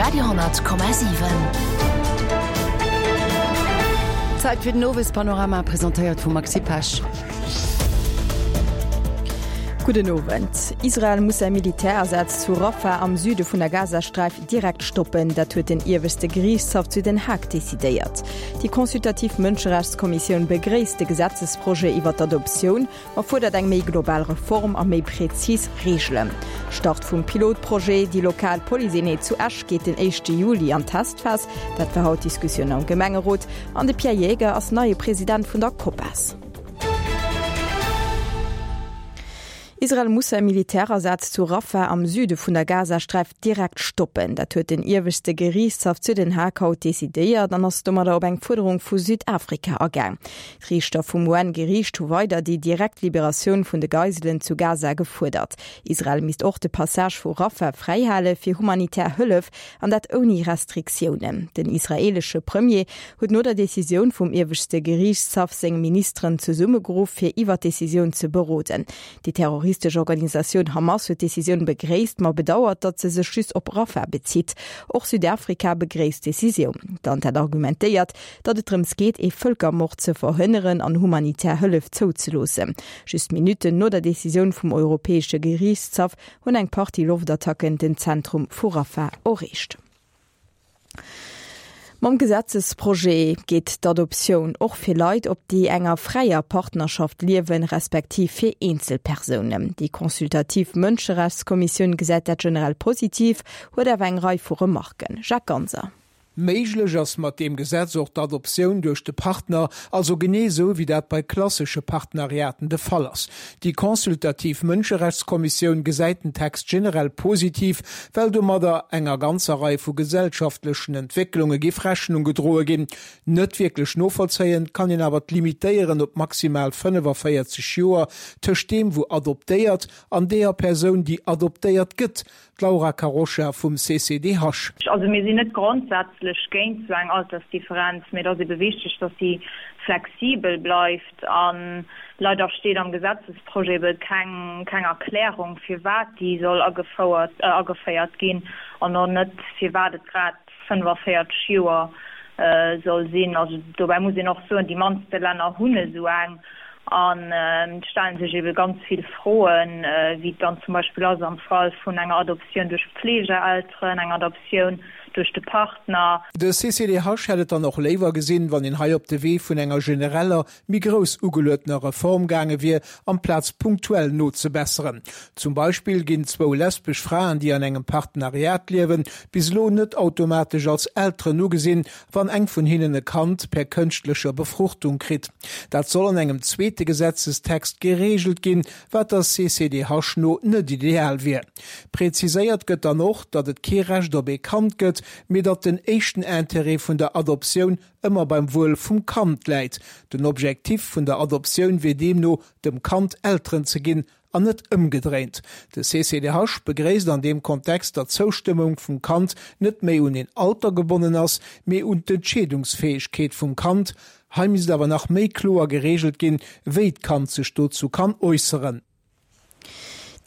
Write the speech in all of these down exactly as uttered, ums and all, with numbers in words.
Radio honnert Komma siwen. Zäit fir den Owespanorama, presentéiert vum Maxi Pesch. Gudden Owend. Israel muss säi Militärasaz zu Rafah am Süde vun der Gazasträif direkt stoppen. Dat huet den ieweschte Geriichtshaff zu Den Haag decidéiert. Déi consultativ Mënscherechtskommissioun begréisst de Gesetzesprojet iwwer d'Adoptioun, ma fuerdert eng méi global Reform a méi präzis Reegelen. Start vum Pilotprojet, Déi lokal Policeeenheet zu Esch geet den éischte Juli an d'Testphas. Dat war haut d'Diskussioun am Gemengerot. An de Pierre Jaeger ass neie President vun der COPAS. Israel muss säi Militärasaz zu Rafah am Süde vun der Gazasträif direkt stoppen. Dat huet den ieweschte Geriichtshaff zu Den Haag haut decidéiert an ass domadder op eng Fuerderung vu Südafrika agaang. D'Riichter vum U N-Geriicht hu weider déi direkt Liberatioun vun de Geiselen zu Gaza gefuerdert. Israel misst och de Passage vu Rafah fräihale fir humanitär Hëllef, an dat ouni Restriktiounen. Den israeelesche Premier huet no der Decisioun vum ieweschte Geriichtshaff seng Ministeren zesummegeruff, fir iwwer d'Decisioun ze beroden. Déi terroristesch Organisatioun Hamas huet d'Decisioun begréisst, ma bedauert, datt se sech just op Rafah bezitt. Och Südafrika begréisst d'Decisioun. D'Land hat argumentéiert, datt et drëms geet, ee Vëlkermord ze verhënneren an humanitär Hëllef zouzeloossen. Just Minutten no der Decisioun vum Europäesche Geriichtshaff hunn eng Partie Loftattacken den Zentrum vu Rafah erreecht. Mam Gesetzesprojet geet d'Adoptioun och fir Leit op, déi enger fräier Partnerschaft liewen, respektiv fir Eenzelpersounen. Déi consultativ Mënscherechtskommissioun gesäit dat generell positiv, huet awer eng Rei vu Remarken. Jacques Ganser. Méiglech ass mat deem Gesetz och d'Adoptioun duerch de Partner, also genee esou wéi dat bei klassesche Partenariaten de Fall ass. Déi consultativ Mënscherechtskommissioun gesäit den Text generell positiv, well domadder enger ganzer Rei vu gesellschaftlechen Entwécklunge géif Rechnung gedroe ginn. Net wierklech novollzéien kann een awer d'Limitéieren op maximal fënnefavéierzeg Joer tëscht deem wou adoptéiert an deeër Persoun déi adoptéiert gëtt, D'Laura Carroccia vum C C D H. Also mir sinn net grondsätzlech géint sou eng Altersdifferenz, mee et ass ebe wichteg, datt si flexibel bleift. A leider steet am Gesetzesprojet ebe keng keng Erklärung, firwat déi soll agefouert ageféiert ginn an och net, firwat et grad fënnefavéierzeg Joer soll sinn. Also dobäi muss een och soen, déi mannste Länner hunn esou eng. An et stellen sech ebe ganz vill Froen, wéi et dann zum Beispill ass am Fall vun enger Adoptioun duerch Pflegeelteren, enger Adoptioun duerch de Partner. De C C D H hätt et dann och léiwer gesinn, wann een hei op de Wee vun enger genereller, méi grouss ugeluetener Reform gaange wier, amplaz punktuell nozebesseren. Zum Beispill ginn zwou lesbesch Fraen, déi an engem Partenariat liewen, bis elo net automatesch als Elteren ugesinn, wann eng vun hinnen e Kand per kënschtlecher Befruchtung kritt. Dat soll an engem zweete Gesetzestext gereegelt ginn, wat der C C D H no net ideal wier. Präziséiert gëtt dann och, datt et kee Recht op ee Kand gëtt, mee datt den éischten Interêt vun der Adoptioun ëmmer beim Wuel vum Kand läit. Den Objektiv vun der Adoptioun wier deemno, dem Kand Elteren ze ginn an net ëmgedréint. De C C D H begréisst an deem Kontext, datt d'Zoustëmmung vum Kand net méi un een Alter gebonnen ass, mee un d'Entscheedungsfäegkeet vum Kand. Hei misst awer nach méi kloer gereegelt ginn, wéi d'Kand sech dozou kann äusseren.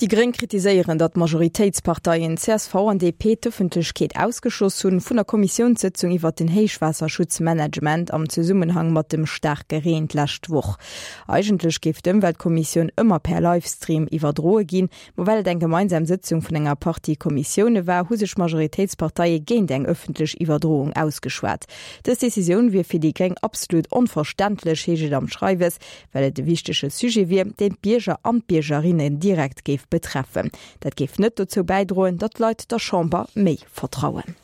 Déi Gréng kritiséieren, datt d'Majoritéitsparteien C S V an D P d'Ëffentlechkeet ausgeschloss hunn vun der Kommissiounssëtzung iwwer den Héichwaasserschutzmanagement am Zesummenhang mat dem staarke Reen d'lescht Woch. Eigentlech géif d'Ëmweltkommissioun ëmmer per Livestream iwwerdroe ginn, ma well et eng gemeinsam Sëtzung vun enger Partie Kommissioune war, hu sech Majoritéitsparteie géint eng ëffentlech Iwwerdroung ausgeschwat. Dës Decisioun wier fir déi Gréng absolut onverständlech, heescht et am Schreiwes, well et e wichtege Sujet wier, deen d'Bierger an d'Biergerinnen direkt géif betreffen. Dat géif net dozou bäidroen, datt d'Leit der Chamber méi vertrauen.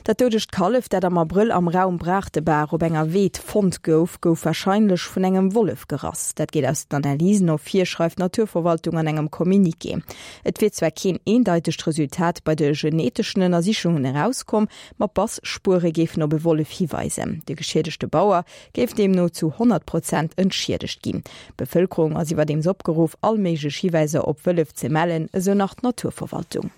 Dat doudegt Kallef, dat am Abrëll am Raum Braachtebour op enger Weed fonnt gouf, gouf warscheinlech vun engem Wollef gerass. Dat geet aus den Analysen ervir, schreift d'Naturverwaltung an engem Communiqué. Et wier zwar keen eendeitegt Resultat bei de geneteschen Ënnersichungen erauskomm, ma Bassspuere géifen op e Wollef hiweisen. De geschiedegte Bauer géif deemno zu honnert Prozent entschiedegt ginn. D'Bevëlkerung ass iwwerdeems opgeruff, all méiglech Hiweiser op Wëllef ze mellen, esou nach d'Naturverwaltung.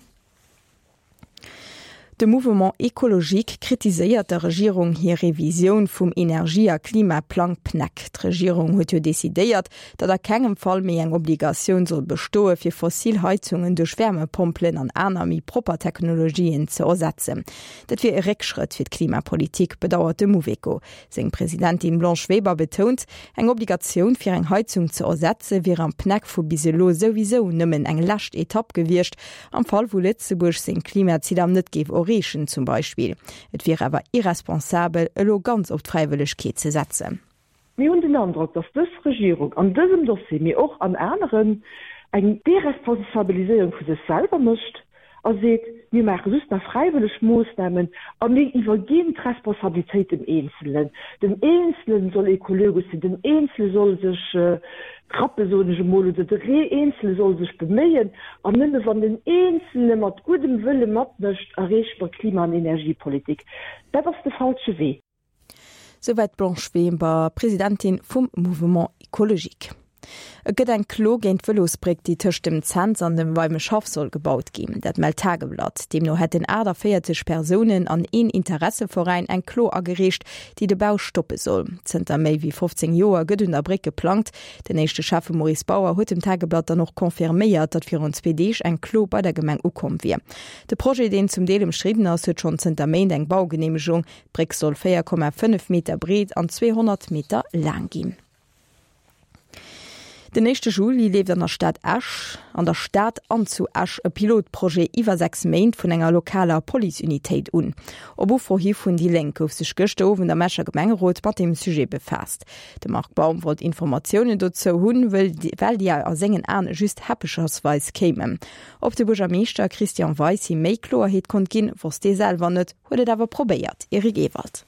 De Mouvement écologique kritiséiert der Regierung hir Revisioun vum Energie a Klimaplang PNEC. D'Regierung huet jo decidéiert, datt a kengem Fall méi eng Obligatioun soll bestoe fir fossil Heizungen duerch Wärmepompelen an aner méi propper Technologien ze ersetzen. Dat wier e Réckschrëtt fir d'Klimapolitik, bedauert de Mouveco. Seng Presidentin Blanche Weber betount, eng Obligatioun fir eng Heizung ze ersetze wier am PNEC vu bis elo souwisou nëmmen eng lescht Etapp gewiescht, am Fall wou Lëtzebuerg seng Klimaziler net géif erreechen zum Beispill. Et wier awer irresponsabel, elo ganz op d'Fräiwëllegkeet ze setzen. Mir hunn den Androck, dass dës Regierung an dësem Dossier, mee och an aneren, eng Deresponsabiliséierung vu sech selwer mécht a seet, Mir maache just nach fräiwëlleg Moossnamen a mir iwwerginn d'Responsabilitéit dem Eenzelen. Den Eenzelen soll ekologesch sinn, den Eenzele soll sech rappen, soen ech emol, oder de Eenzele soll sech beméien. An nëmme wann den Eenzele mat guddem Wëlle matmécht, erreeche mer Klima an Energiepolitik. Dat ass de falsche Wee. Souwäit d'Blanche Weber, Presidentin vum Mouvement écologique. Et gëtt eng Klo géint d'Vëlosbréck, déi tëscht dem Cents an dem Weimeschhaff soll gebaut ginn. Dat mellt d'Tageblatt. Deemno hätten achtaféierzeg Persounen an een Interesseveräin eng Klo agereecht, déi de Bau stoppe soll. Zënter méi wéi fofzéng Joer gëtt un der Bréck geplangt. Den éischte Schäffe Maurice Bauer huet dem Tageblatt dann och confirméiert, datt virun zwee Deeg eng Klo bei der Gemeng ukomm wier. De Projet, deen zum Deel ëmstridden ass, huet schonn zënter Méint eng Baugeneemegung. D'Bréck soll véier Komma fënnef Meter breet an zweehonnert Meter laang ginn. Den éischte Juli leeft an der Stad Esch, an der Stad an zu Esch e Pilotprojet iwwer sechs Méint vun enger lokaler Policeunitéit un. Op Ufro hi vun déi Lénk gouf sech gëschter Owend am Escher Gemengerot mat deem Sujet befaasst. De Marc Baum wollt Informatiounen dozou hunn, well déi a sengen Aen just häppechersweis kéimen. Ob de Buergermeeschter Christian Weis him méi Kloerheet konnt ginn, wosst hie selwer net, huet et awer probéiert. Eric Ewald.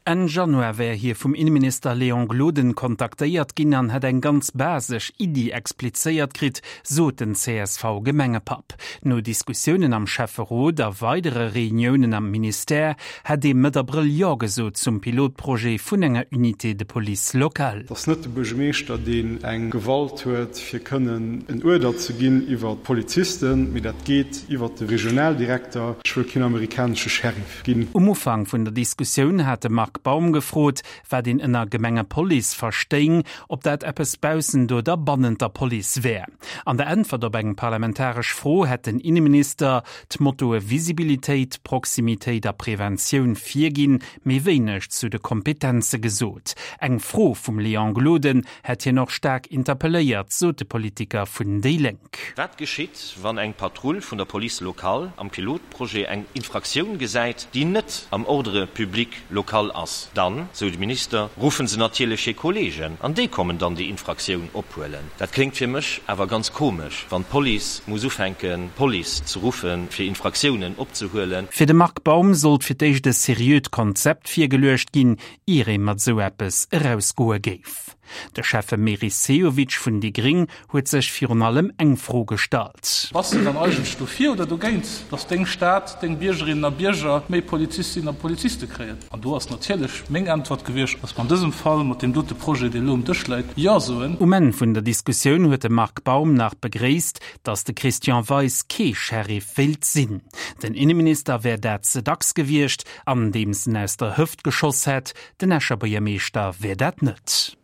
Enn Januar wär hie vum Inneminister Léon Gloden kontaktéiert ginn an hätt eng ganz basesch Iddi explizéiert kritt, sot den C S V-Gemengepapp. No Diskussiounen am Schäfferot a weidere Reuniounen am Ministère hätt ee Mëtt Abrëll Jo gesot zum Pilotprojet vun enger Unité de police locale. Et ass net de Buergermeeschter, deen eng Gewalt huet, fir kënnen en Uerder ze ginn iwwer d'Polizisten, mee dat geet iwwer de Regionaldirekter. Ech wëll keen amerikanesche Sheriff ginn. Um Ufank vun der Diskussioun hat de Marc Baum gefrot, wat een ënner Gemengepolice verstéing, ob dat eppes baussent oder bannent der Police wär. An der Äntwert op eng parlamentaresch Fro hätt den Inneminister d'Mottoe Visibilitéit, Proximitéit a Preventioun virginn, mee wéineg zu de Kompetenze gesot. Eng Fro vum Léon Gloden hätt hien och staark interpelléiert, sot de Politiker vun déi Lénk. Wat geschitt, wann eng Patrull vun der Police locale am Pilotprojet eng Infraktioun gesäit, déi net am Ordre public local ass? Dann, sou de Minister, ruffen se natierlech hir Kolleegen an déi kommen dann déi Infraktioun ophuelen. Dat kléngt fir mech awer ganz komesch, wann d'Police muss ufänken, d'Police ze ruffen, fir Infraktiounen opzehuelen. Fir de Marc Baum sollt fir d'éischt e seriöt Konzept virgeluecht ginn, ier ee mat sou eppes erausgoe géif. De Schäffe Meris Sehovic vun déi gréng huet sech virun allem eng Fro gestallt. Bass de dann eigentlech dofir oder dogéint, dass deng Stad, deng Biergerinnen a Bierger méi Polizistinnen a Poliziste kréien? An do ass natierlech meng Äntwert gewiescht, dass mer an dësem Fall mat deem dote Projet, dee elo um Dësch läit, Jo soen. Um Enn vun der Diskussioun huet de Marc Baum nach begréisst, dass de Christian Weis kee Sheriff wéilt sinn. Den Inneminister wär dat ze dacks gewiescht, andeems en aus der Hëft geschoss hätt, den Escher Buergermeeschter wär dat net.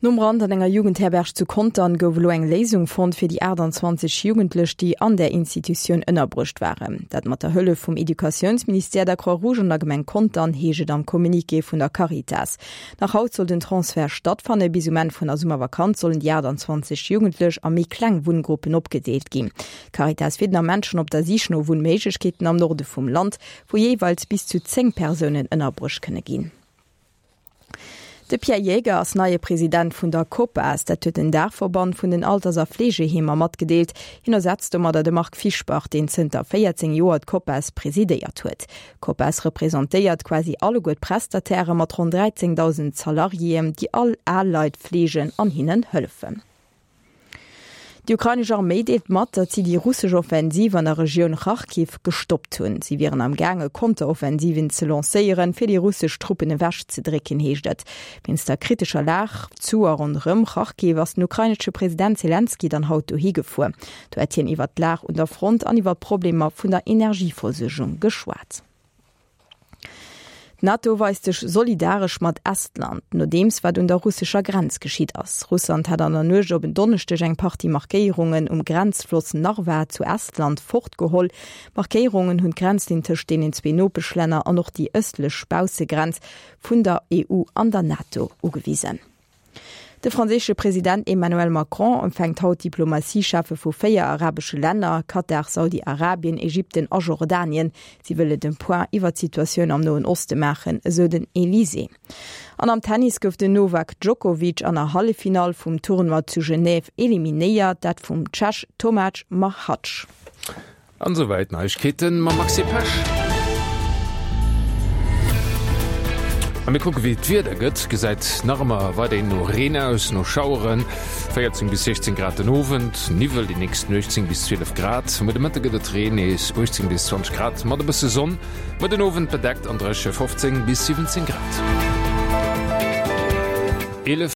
Nom Brand an enger Jugendherberg zu Contern gouf elo eng Léisung fonnt fir déi achtanzwanzeg Jugendlech, déi an där Institutioun ënnerbruecht waren. Dat mat der Hëllef vum Educatiounsministère, der Croix-Rouge an der Gemeng Contern, heescht et am Communiqué vun der Caritas. Nach haut soll den Transfert stattfannen. Bis um Enn vun der Summervakanz sollen déi achtanzwanzeg Jugendlech a méi kleng Wunngruppen opgedeelt ginn. D'Caritas wier den Ament schonn op der Sich no Wunnméiglechkeeten am Norde vum Land, wou jeeweils bis zu zéng Persounen ënnerbruecht kënne ginn. De Pierre Jaeger ass neie President vun der COPAS, dat huet den Daachverband vun den Alters a Fleegeheemer matgedeelt. Hien ersetzt domadder de Marc Fischbach, deen zënter véierzéng Joer d'COPAS presidéiert huet. D'COPAS representéiert quasi alleguer d'Prestatairë mat ronn dräizéngdausend Salariéen, déi all al Leit fleegen an hinnen hëllefen. Déi ukrainesch Arméi deelt mat, datt si déi russesch Offensiv an der Regioun Charkiw gestoppt hunn. Si wieren am gaange Konteroffensiven ze lancéieren, fir déi russesch Truppen ewech ze drécken, heescht et. Wéinst der kritescher Lag zu a ronderëm Charkiw ass den ukrainesche President Selenskyj dann haut dohi gefuer. Do hätt hien iwwer d'Lag un der Front an iwwer d'Problemer vun der Energieversuergung geschwat. D'NATO weist sech solidaresch mat Estland, nodeems wat un der russescher Grenz geschitt ass. Russland hat an der Nuecht op en Donneschdeg eng Partie Markéierungen um Grenzfloss Narva zu Estland fortgeholl. D'Markéierungen hunn d'Grenzlinn tëscht deenen zwee Nopeschlänner an och déi ëstlech Baussegrenz vun der EU an der NATO ugewisen. De franséische President Emmanuel Macron empfänkt haut d'Diplomatie-Cheffe vu véier arabesche Länner, Katar, Saudi-Arabien, Ägypten a Jordanien. Si wëlle de Point iwwer d'Situatioun am Noen Oste maachen, esou den Elysée. An am Tennis gouf den Novak Djokovic an der Halleffinall vum Tournoi zu Genève eliminéiert, dat vum Tschech Tomáš Macháč. An esouwäit d'Neiegkeeten mam Maxi Pesch. A mir kucke wéi d'Wieder gëtt. Gesäit nach ëmmer weiderhin no Reen aus, no Schaueren. véierzéng bis siechzéng Grad den Owend, Niwwel déi nächst Nuecht, zéng bis zwielef Grad. Muer de Mëtte gëtt et Reen, nees uechtzéng bis zwanzeg Grad mat e bësse Sonn. Muer den Owend bedeckt an dréche, fofzéng bis siwwenzéng Grad. Eelef.